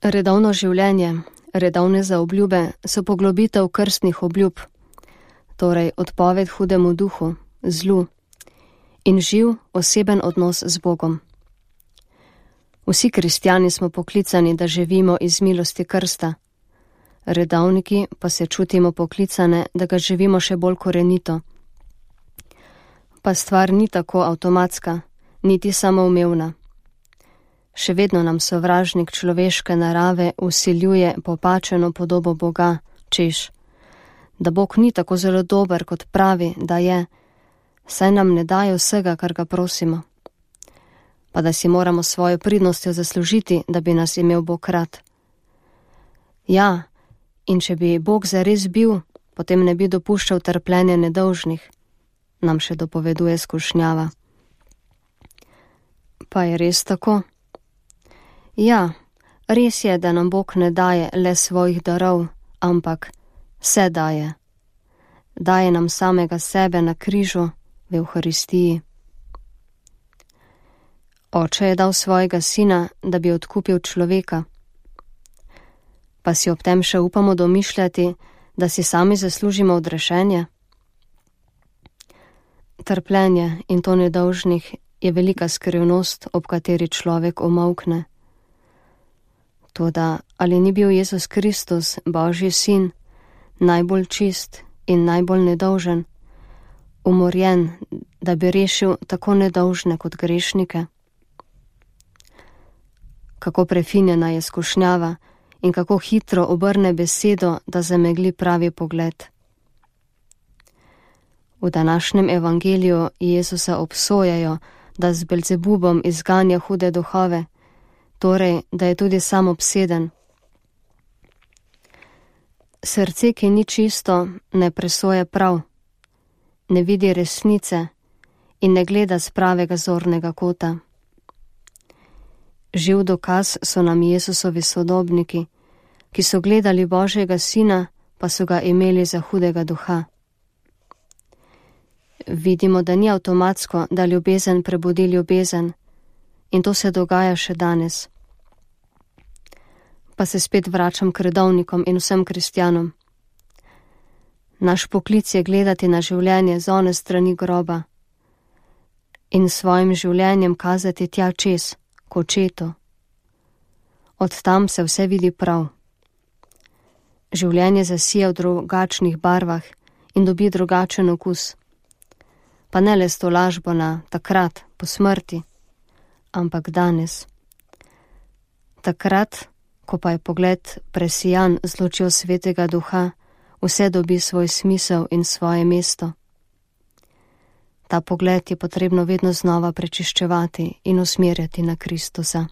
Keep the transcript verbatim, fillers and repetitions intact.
Redovno življenje, redovne zaobljube so poglobitev krstnih obljub, torej odpoved hudemu duhu, zlu in živ oseben odnos z Bogom. Vsi kristjani smo poklicani, da živimo iz milosti krsta, redovniki pa se čutimo poklicane, da ga živimo še bolj korenito. Pa stvar ni tako avtomatska, niti samoumevna. Še vedno nam sovražnik človeške narave vsiljuje popačeno podobo Boga, češ, da Bog ni tako zelo dober, kot pravi, da je, saj nam ne daje vsega, kar ga prosimo, pa da si moramo svojo pridnostjo zaslužiti, da bi nas imel Bog rad. Ja, in če bi Bog zares bil, potem ne bi dopuščal trpljenja nedolžnih, nam še dopoveduje skušnjava. Pa je res tako? Ja, res je, da nam Bog ne daje le svojih darov, ampak vse daje. Daje nam samega sebe na križu v Evharistiji. Oče je dal svojega sina, da bi odkupil človeka. Pa si ob tem še upamo domišljati, da si sami zaslužimo odrešenje? Trpljenje, in to nedolžnih, je velika skrivnost, ob kateri človek omolkne. Toda ali ni bil Jezus Kristus, Božji sin, najbolj čist in najbolj nedolžen, umorjen, da bi rešil tako nedolžne kot grešnike? Kako prefinjena je skušnjava in kako hitro obrne besedo, da zamegli pravi pogled. V današnjem evangeliju Jezusa obsojajo, da z Belzebubom izganja hude duhove, torej, da je tudi sam obseden. Srce, ki ni čisto, ne presoja prav, ne vidi resnice in ne gleda z pravega zornega kota. Živ dokaz so nam Jezusovi sodobniki, ki so gledali Božjega sina, pa so ga imeli za hudega duha. Vidimo, da ni avtomatsko, da ljubezen prebudi ljubezen, in to se dogaja še danes. Pa se spet vračam k redovnikom in vsem kristjanom. Naš poklic je gledati na življenje z one strani groba in svojim življenjem kazati tja čez, k očetu. Od tam se vse vidi prav. Življenje zasija v drugačnih barvah in dobi drugačen okus. Pa ne le s to lažbo na takrat, po smrti, ampak danes. Takrat, ko pa je pogled presijan z lučjo svetega duha, vse dobi svoj smisel in svoje mesto. Ta pogled je potrebno vedno znova prečiščevati in usmerjati na Kristusa.